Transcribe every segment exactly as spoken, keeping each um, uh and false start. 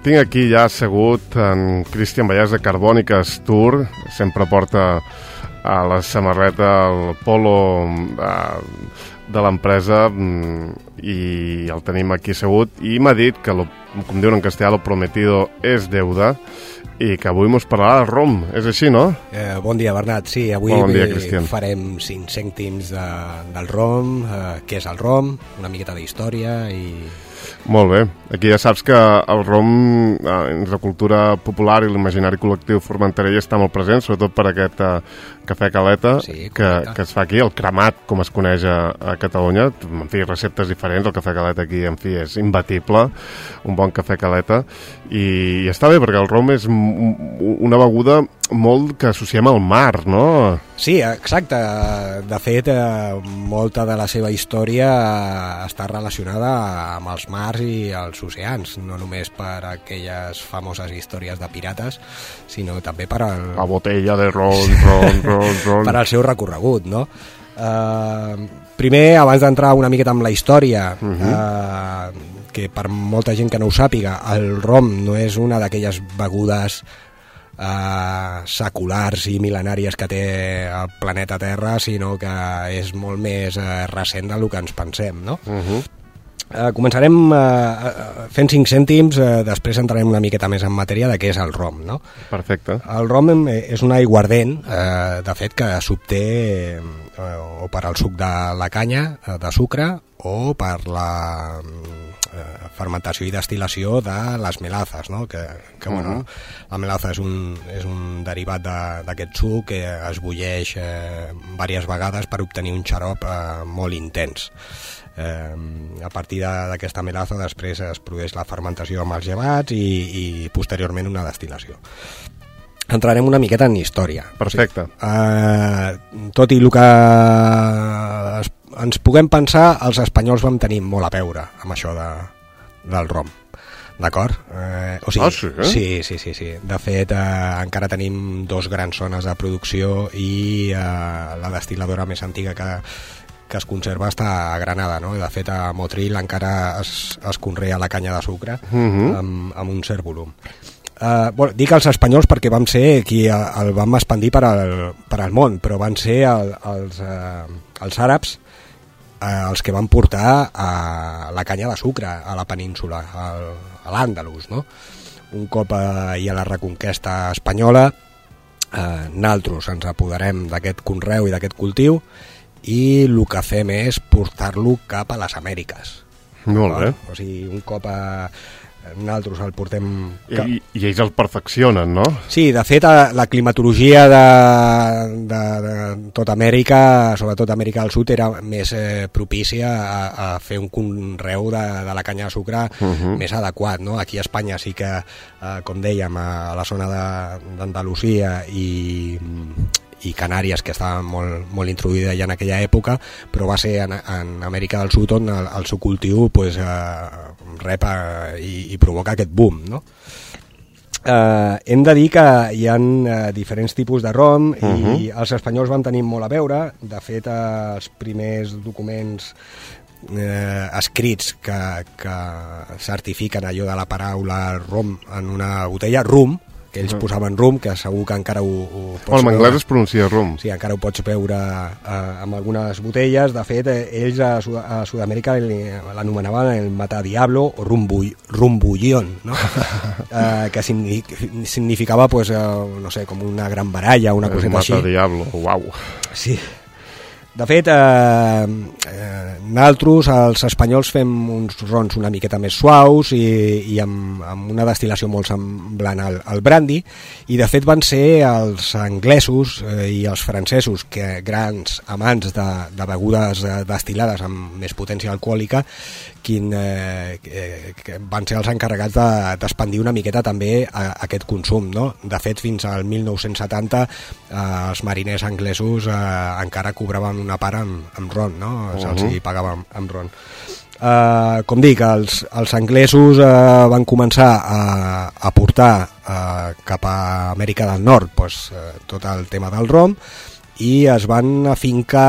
Tinc aquí ja assegut en Cristian Vallès de Carbòniques Tour, sempre porta a la samarreta el polo de, de l'empresa i el tenim aquí assegut i m'ha dit que, lo, com diuen en castellà, lo prometido és deuda i que avui mos parlarà del rom. És així, no? Eh, bon dia, Bernat. Sí, avui bon dia, Cristian. Farem cinc cèntims de, del rom, eh, què és el rom, una miqueta d'història i... Molt bé. Aquí ja saps que el rom, en la cultura popular i l'imaginari col·lectiu formenterell està molt present, sobretot per aquest uh, cafè caleta sí, que, que es fa aquí, el cremat, com es coneix a, a Catalunya. En fi, receptes diferents, el cafè caleta aquí, en fi, és imbatible, un bon cafè caleta, i, i està bé, perquè el rom és una beguda molt que associem al mar, no? Sí, exacte. De fet, eh, molta de la seva història està relacionada amb els mars i els oceans, no només per aquelles famoses històries de pirates, sinó també per al... La botella de ron, ron, ron, ron. Per al seu recorregut, no? Uh, primer, abans d'entrar una miqueta amb la història, uh-huh. uh, que per molta gent que no ho sàpiga, el rom no és una d'aquelles begudes Uh, seculars i mil·lenàries que té el planeta Terra, sinó que és molt més uh, recent del que ens pensem, no? Uh-huh. Uh, començarem uh, fent cinc cèntims, uh, després entrarem una miqueta més en matèria de què és el rom, no? Perfecte. El rom és un aiguardent, uh, de fet, que s'obté uh, o per al suc de la canya, uh, de sucre, o per la uh, fermentació i destil·lació de les melazes, no? Que, que uh-huh. bueno, la melaza és un, és un derivat d'aquest de, suc que es bulleix eh, diverses vegades per obtenir un xarop eh, molt intens. Eh, a partir d'aquesta melaza després es produeix la fermentació amb els llevats i, i posteriorment una destil·lació. Entrarem una miqueta en història. Perfecte. O sigui, eh, tot i el que es, ens puguem pensar, els espanyols vam tenir molt a veure amb això de, del rom. D'acord? Eh, o sigui, ah, sí, eh? sí, sí, sí, sí. De fet, eh, encara tenim dos grans zones de producció i eh, la destil·ladora més antiga que, que es conserva està a Granada, no? De fet, a Motril encara es, es conrea la canya de sucre uh-huh. amb, amb un cert volum. Uh, bueno, dic els espanyols perquè vam ser qui el vam expandir per al, per al món, però van ser el, els, uh, els àrabs uh, els que van portar uh, la canya de sucre a la península, al, a l'Àndalus, no? Un cop uh, hi ha la reconquesta espanyola, uh, nosaltres ens apoderem d'aquest conreu i d'aquest cultiu i el que fem és portar-lo cap a les Amèriques. Molt bé. O sigui, un cop a... nosaltres el portem... I, i ells el perfeccionen, no? Sí, de fet, la climatologia de, de, de tota Amèrica, sobretot Amèrica del Sud, era més eh, propícia a, a fer un conreu de, de la canya de sucre uh-huh. més adequat, no? Aquí a Espanya sí que, eh, com dèiem, a la zona d'Andalusia i... i Canàries, que estava molt, molt introduïda ja en aquella època, però va ser en, en Amèrica del Sud on el, el seu cultiu pues, eh, rep eh, i, i provoca aquest boom, no? Eh, hem de dir que hi ha eh, diferents tipus de rom uh-huh. i els espanyols van tenir molt a veure. De fet, eh, els primers documents eh, escrits que, que certifiquen allò de la paraula rom en una botella, rum, que ells uh-huh. posaven rum, que segur que encara ho, ho pots veure. En anglès veure. Es pronuncia rum. Sí, encara ho pots veure eh, amb algunes botelles. De fet, eh, ells a, Sud a Sud-amèrica l'anomenaven el matadiablo o rumbull rumbullón, no? eh, que significava, pues, eh, no sé, com una gran baralla, una coseta així. El matadiablo, uau. Sí. De fet, eh, eh, nosaltres, els espanyols, fem uns rons una miqueta més suaus i, i amb, amb una destil·lació molt semblant al, al brandy, i de fet van ser els anglesos eh, i els francesos, que grans amants de, de begudes destil·lades amb més potència alcohòlica, quin, eh, que van ser els encarregats d'expandir de, una miqueta també a, a aquest consum, no? De fet, fins al mil nou-cents setanta eh, els mariners anglesos eh, encara cobraven una part amb, amb ron, no? Se'ls uh-huh. pagava amb, amb ron. Uh, com dic, els, els anglesos uh, van començar a, a portar uh, cap a Amèrica del Nord pues, uh, tot el tema del rom i es van afincar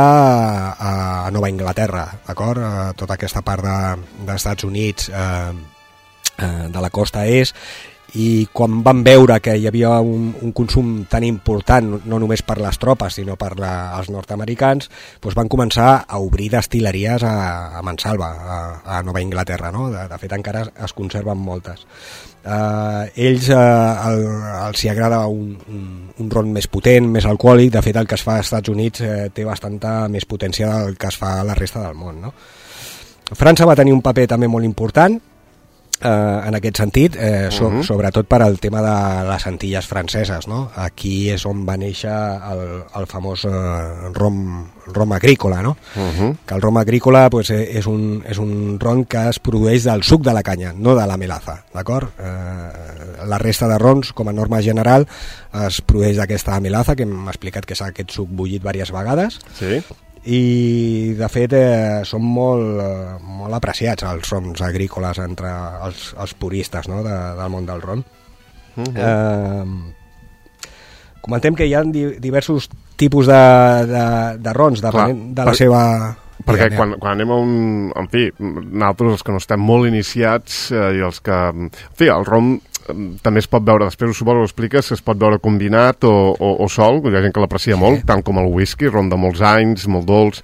a, a Nova Inglaterra, d'acord? Uh, tota aquesta part de, dels Estats Units, uh, eh, de la costa est, i quan van veure que hi havia un, un consum tan important, no només per les tropes sinó per la, els nord-americans, doncs van començar a obrir destil·leries a, a Mansalva, a, a Nova Inglaterra, no? de, de fet encara es conserven moltes. Uh, ells uh, el, els hi agrada un, un, un ron més potent, més alcohòlic. De fet el que es fa als Estats Units eh, té bastanta més potència del que es fa a la resta del món, no? França va tenir un paper també molt important Eh, en aquest sentit, eh, so, uh-huh. sobretot per al tema de les Antilles franceses, no? Aquí és on va néixer el, el famós eh, rom, rom agrícola, no? Uh-huh. Que el rom agrícola pues, és, un, és un rom que es produeix del suc de la canya, no de la melaza, d'acord? Eh, la resta de rons, com a norma general, es produeix d'aquesta melaza, que hem explicat que és aquest suc bullit diverses vegades. Sí. I de fet eh, són molt, eh, molt apreciats els rons agrícoles entre els, els puristes, no? de, del món del ron. Uh-huh. eh, comentem que hi ha di, diversos tipus de, de, de rons depenent de la per, seva... Perquè quan, quan anem a un... En fi, nosaltres els que no estem molt iniciats eh, i els que... En fi, el ron també es pot veure, després suposo que ho expliques, es pot veure combinat o, o, o sol, hi ha gent que l'aprecia sí. molt, tant com el whisky, ron de molts anys, molt dolç,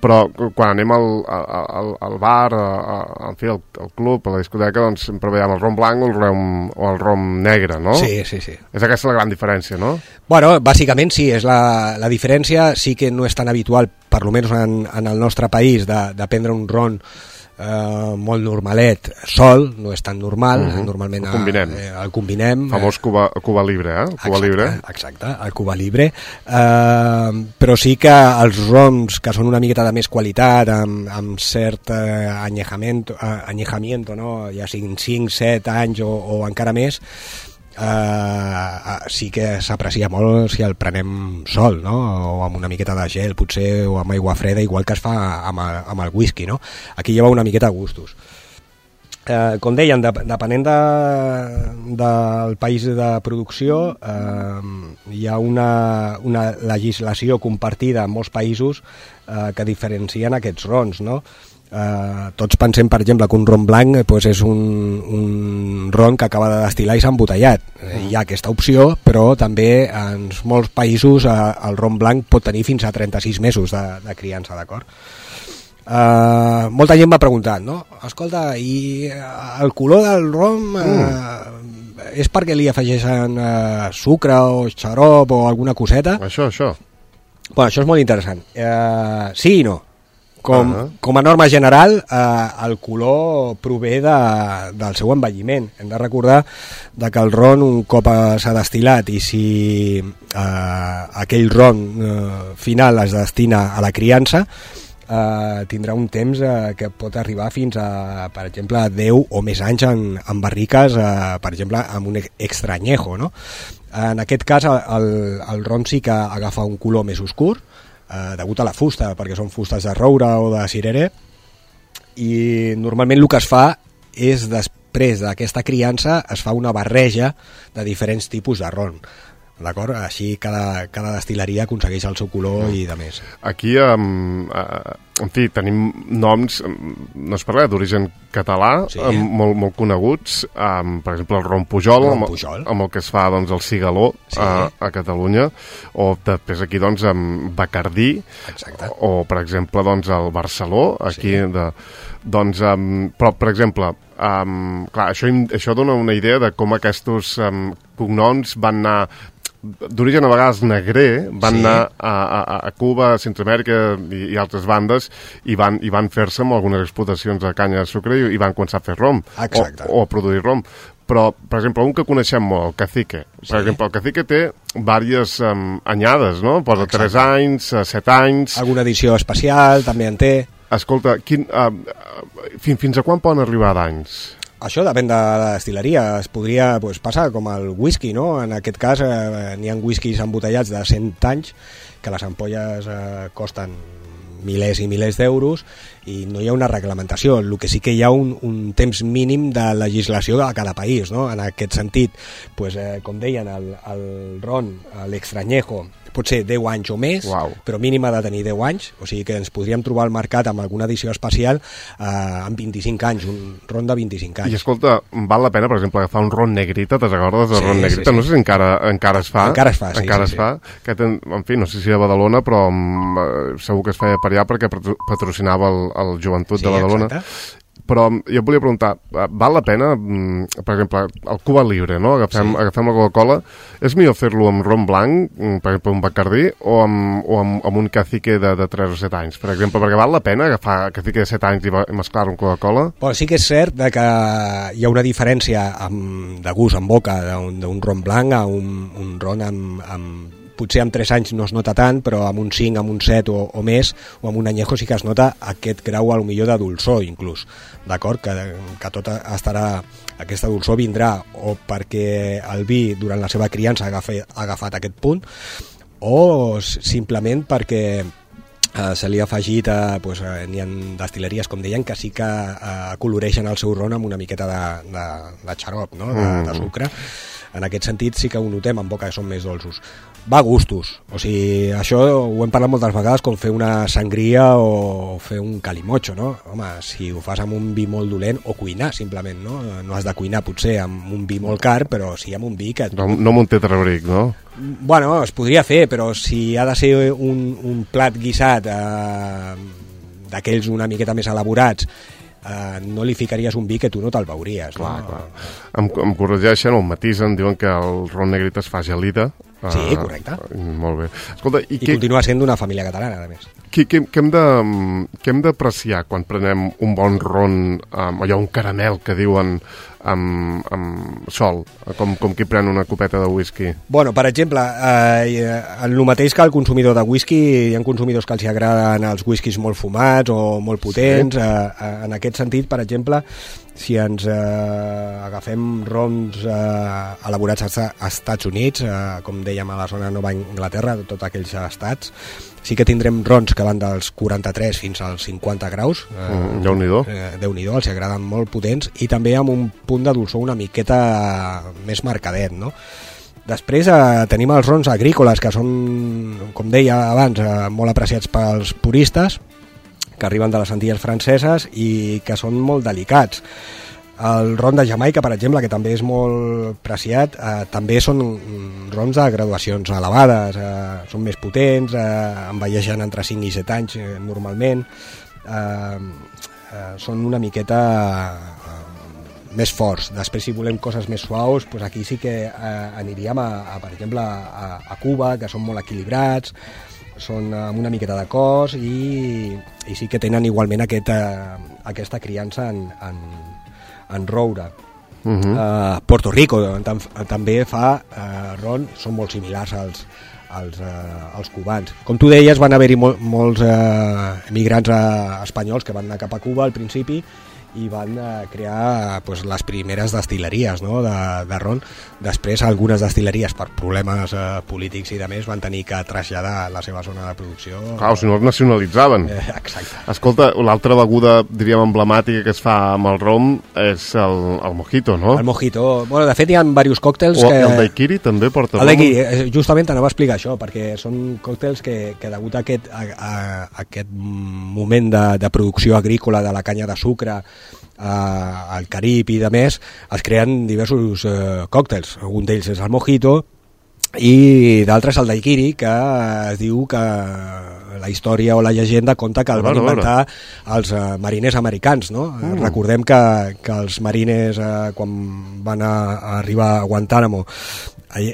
però quan anem al, al, al bar, a, a, en fi, al, al club, a la discoteca, doncs sempre veiem el ron blanc o el rom, o el rom negre, no? Sí, sí, sí. És aquesta la gran diferència, no? Bueno, bàsicament sí, és la, la diferència, sí que no és tan habitual, per almenys en, en el nostre país, de, de prendre un ron Uh, molt normalet, sol, no és tan normal, uh-huh. normalment el combinem, eh, el combinem famós Cuba, Cuba Libre, eh? Cuba exacte, Libre. Exacte, el Cuba Libre, uh, però sí que els roms que són una miqueta de més qualitat, amb, amb cert uh, anyejamiento, uh, anyejamiento, no? Ja siguin cinc, set anys o, o encara més, Uh, sí que s'aprecia molt si el prenem sol, no? O amb una miqueta de gel potser, o amb aigua freda, igual que es fa amb el, amb el whisky, no? Aquí lleva una miqueta de gustos. Uh, com deien, de, depenent de, del país de producció, uh, hi ha una, una legislació compartida en molts països uh, que diferencien aquests rons, no? Uh, tots pensem, per exemple, que un ron blanc eh, pues és un, un ron que acaba de destil·lar i s'ha embotellat. Eh, hi ha aquesta opció, però també en molts països eh, el ron blanc pot tenir fins a trenta-sis mesos de, de criança, d'acord? Uh, molta gent m'ha preguntat, no? Escolta, i el color del ron uh, mm. és perquè li afegeixen uh, sucre o xarop o alguna coseta? Això, això. Bueno, això és molt interessant. Uh, sí i no. Com, uh-huh. com a norma general, eh, el color prové de, del seu envelliment. Hem de recordar de que el ron, un cop s'ha destil·lat i si eh, aquell ron eh, final es destina a la criança, eh, tindrà un temps eh, que pot arribar fins a, per exemple, deu o més anys en, en barriques, eh, per exemple, amb un extra añejo, no? En aquest cas, el, el ron sí que agafa un color més oscur, Uh, degut a la fusta, perquè són fustes de roure o de cirere, i normalment el que es fa és, després d'aquesta criança, es fa una barreja de diferents tipus de ron, d'acord? Així cada, cada destil·leria aconsegueix el seu color mm. i de més. Aquí, um, uh, en fi, tenim noms, no es parla d'origen català, sí. um, molt, molt coneguts, um, per exemple el ron Pujol, ron amb, Pujol. amb el que es fa doncs, el cigaló sí. a, a Catalunya, o després aquí doncs amb Bacardí, exacte. O, o per exemple doncs el Barceló, aquí sí. de... Doncs, um, però, per exemple, um, clar, això, això dona una idea de com aquests um, cognoms van anar d'origen a vegades negrer, van sí. anar a, a, a Cuba, a Centroamèrica i, i altres bandes i van, i van fer-se amb algunes explotacions de canya de sucre i, i van començar a fer rom o, o a produir rom. Però, per exemple, un que coneixem molt, el Cacique. Per sí. exemple, el Cacique té diverses um, anyades, no? Posa tres anys, set anys... Alguna edició especial també en té. Escolta, quin, uh, uh, fins, fins a quan poden arribar d'anys? Això depèn de la destil·leria. Es podria pues, passar com el whisky, no? En aquest cas eh, n'hi ha whiskies embotellats de cent anys que les ampolles eh, costen milers i milers d'euros i no hi ha una reglamentació. El que sí que hi ha un, un temps mínim de legislació a cada país, no? En aquest sentit, pues, eh, com deien, el, el ron, l'extrañejo, pot ser deu anys o més, Uau. però mínim ha de tenir deu anys, o sigui que ens podríem trobar al mercat amb alguna edició especial eh, amb vint-i-cinc anys, un ron de vint-i-cinc anys. I escolta, val la pena, per exemple, agafar un ron negrita, te'n recordes del Sí, ron sí, negrita? sí. No sé si encara, encara es fa. Encara es fa, sí, Encara sí, es fa. Que ten, en fi, no sé si a Badalona, però um, segur que es feia per allà perquè patro- patrocinava el, el joventut Sí, de Badalona. exacte. Però jo et volia preguntar, eh, val la pena, mm, per exemple, el Cuba Libre, no? Agafem, Sí. agafem la Coca-Cola, és millor fer-lo amb ron blanc, mm, per exemple, un Bacardí, o amb, o amb, amb un cacique de, de tres o set anys, per exemple, perquè val la pena agafar cacique de set anys i va- i mesclar-ho amb Coca-Cola? Però sí que és cert de que hi ha una diferència amb, de gust en boca d'un d'un ron blanc a un, un ron amb, amb potser amb tres anys no es nota tant, però amb un cinc, amb un set o, o més, o amb un añejo sí que es nota aquest grau a lo millor de dolçor inclús, d'acord? Que, que tot estarà, aquesta dolçor vindrà o perquè el vi durant la seva criança ha agafat, ha agafat aquest punt, o simplement perquè Uh, se li ha afegit, uh, pues, uh, n'hi ha destil·leries, com deien, que sí que uh, coloreixen el seu ron amb una miqueta de, de, de xarop, no? de, de sucre. En aquest sentit sí que ho notem en boca, que són més dolços. Va a gustos, o sigui, això ho hem parlat moltes vegades, com fer una sangria o fer un calimocho, no? Home, si ho fas amb un vi molt dolent, o cuinar, simplement, no? No has de cuinar, potser, amb un vi molt car, però sí amb un vi que... No, no amb un tetrabric, no? Bueno, es podria fer, però si ha de ser un, un plat guisat eh, d'aquells una miqueta més elaborats, eh, no li ficaries un vi que tu no te'l veuries. Clar, no? clar. Em, em corregeixen, o em matisen, diuen que el ron negrita es fa gelida. Sí, Uh, correcte. Molt bé. Escolta, i, I què, continua sent d'una família catalana, a més. què, què, què hem de, què hem d'apreciar quan prenem un bon ron, um, allò, un caramel que diuen amb, amb sol, com, com qui pren una copeta de whisky? Bueno, per exemple, eh, el mateix que el consumidor de whisky, hi ha consumidors que els agraden els whiskys molt fumats o molt potents. Sí. Eh, en aquest sentit, per exemple, si ens eh, agafem rons eh, elaborats als Estats Units, eh, com dèiem a la zona de Nova Anglaterra, de tots aquells estats, sí que tindrem rons que van dels quaranta-tres fins als cinquanta graus. Eh, Mm, Déu-n'hi-do. Eh, Déu-n'hi-do, els agraden molt potents, i també amb un punt de dolçor una miqueta més marcadet, no? Després eh, tenim els rons agrícoles, que són, com deia abans, eh, molt apreciats pels puristes, que arriben de les Antilles franceses i que són molt delicats. El ron de Jamaica, per exemple, que també és molt preciat, eh, també són rons de graduacions elevades, eh, són més potents, eh, envelleixen entre cinc i set anys eh, normalment, eh, eh, són una miqueta eh, més forts. Després, si volem coses més suaus, doncs aquí sí que eh, aniríem a, a, per exemple, a, a Cuba, que són molt equilibrats, són amb una miqueta de cos i, i sí que tenen igualment aquest, eh, aquesta criança en, en, en roure. Uh -huh. uh, Puerto Rico tam, també fa uh, ron, són molt similars als, als, uh, als cubans. Com tu deies, van haver-hi mol, molts uh, emigrants uh, espanyols que van anar cap a Cuba al principi i van uh, crear uh, pues, les primeres destil·leries, no? de, de ron. Després algunes destil·leries per problemes uh, polítics i de més van tenir que traslladar la seva zona de producció. Clar, si no els nacionalitzaven. Eh, exacte. Escolta, l'altra beguda, diríem, emblemàtica que es fa amb el rom és el, el mojito, no? El mojito. Bueno, de fet, hi ha diversos còctels o que... el daiquiri també porta El rom? daiquiri, justament t'anava a explicar això, perquè són còctels que, que degut a aquest, a, a, a aquest moment de, de producció agrícola de la canya de sucre Uh, al Carib i de més, es creen diversos uh, còctels. Un d'ells és el mojito i d'altres el daiquiri, que es diu que la història o la llegenda conta que el van inventar els uh, mariners americans, no? Mm. Recordem que, que els mariners uh, quan van a, a arribar a Guantánamo allà,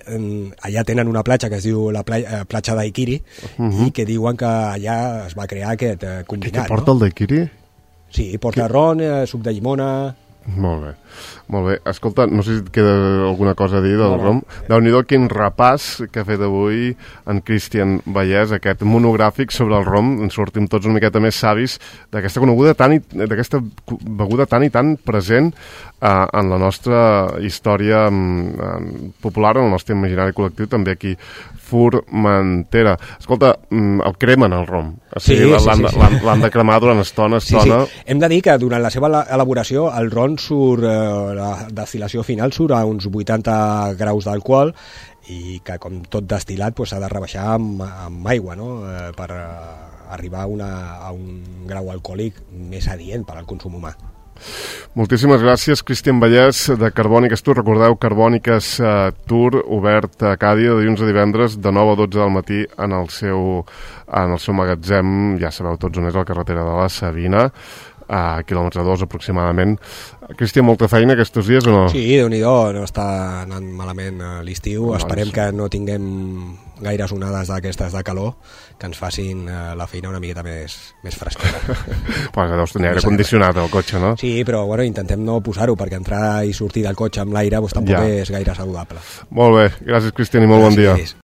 allà tenen una platja que es diu la platja, platja Daiquiri, uh-huh. i que diuen que allà es va crear aquest uh, combinat. Què porta, no? El daiquiri? Sí, porta que... ron, eh, suc de llimona... Molt bé, molt bé. Escolta, no sé si et queda alguna cosa a dir del no, no. rom. Déu-n'hi-do quin repàs que ha fet avui en Cristian Vallès, aquest monogràfic sobre el rom. Ens sortim tots una miqueta més savis d'aquesta coneguda tan i, d'aquesta beguda tan i tan present eh, en la nostra història eh, popular, en el nostre imaginari col·lectiu, també aquí Formentera. Escolta, el cremen el rom. O sigui, sí, l'han, sí, sí. L'han, l'han de cremar durant estona, estona. Sí, sí. Hem de dir que durant la seva elaboració el ron doncs surt, eh, la destil·lació final surt a uns vuitanta graus d'alcohol, i que com tot destil·lat s'ha pues, de rebaixar amb, amb aigua, no? eh, per eh, arribar a, una, a un grau alcohòlic més adient per al consum humà. Moltíssimes gràcies, Cristian Vallès, de Carbòniques Tour. Recordeu, Carbòniques uh, Tour, obert a Càdia de dilluns a divendres de nou a dotze del matí en el seu, en el seu magatzem, ja sabeu tots on és, a la carretera de la Sabina, a quilòmetre dos aproximadament. Cristian, molta feina aquests dies o no? Sí, Déu-n'hi-do, no està anant malament l'estiu. Doncs... Esperem que no tinguem gaires onades d'aquestes de calor que ens facin la feina una miqueta més, més fresquera. Pues deus tenir aire condicionat al cotxe, no? Sí, però bueno, intentem no posar-ho, perquè entrar i sortir del cotxe amb l'aire pues, tampoc ja. és gaire saludable. Molt bé, gràcies, Cristian, i molt gràcies. Bon dia.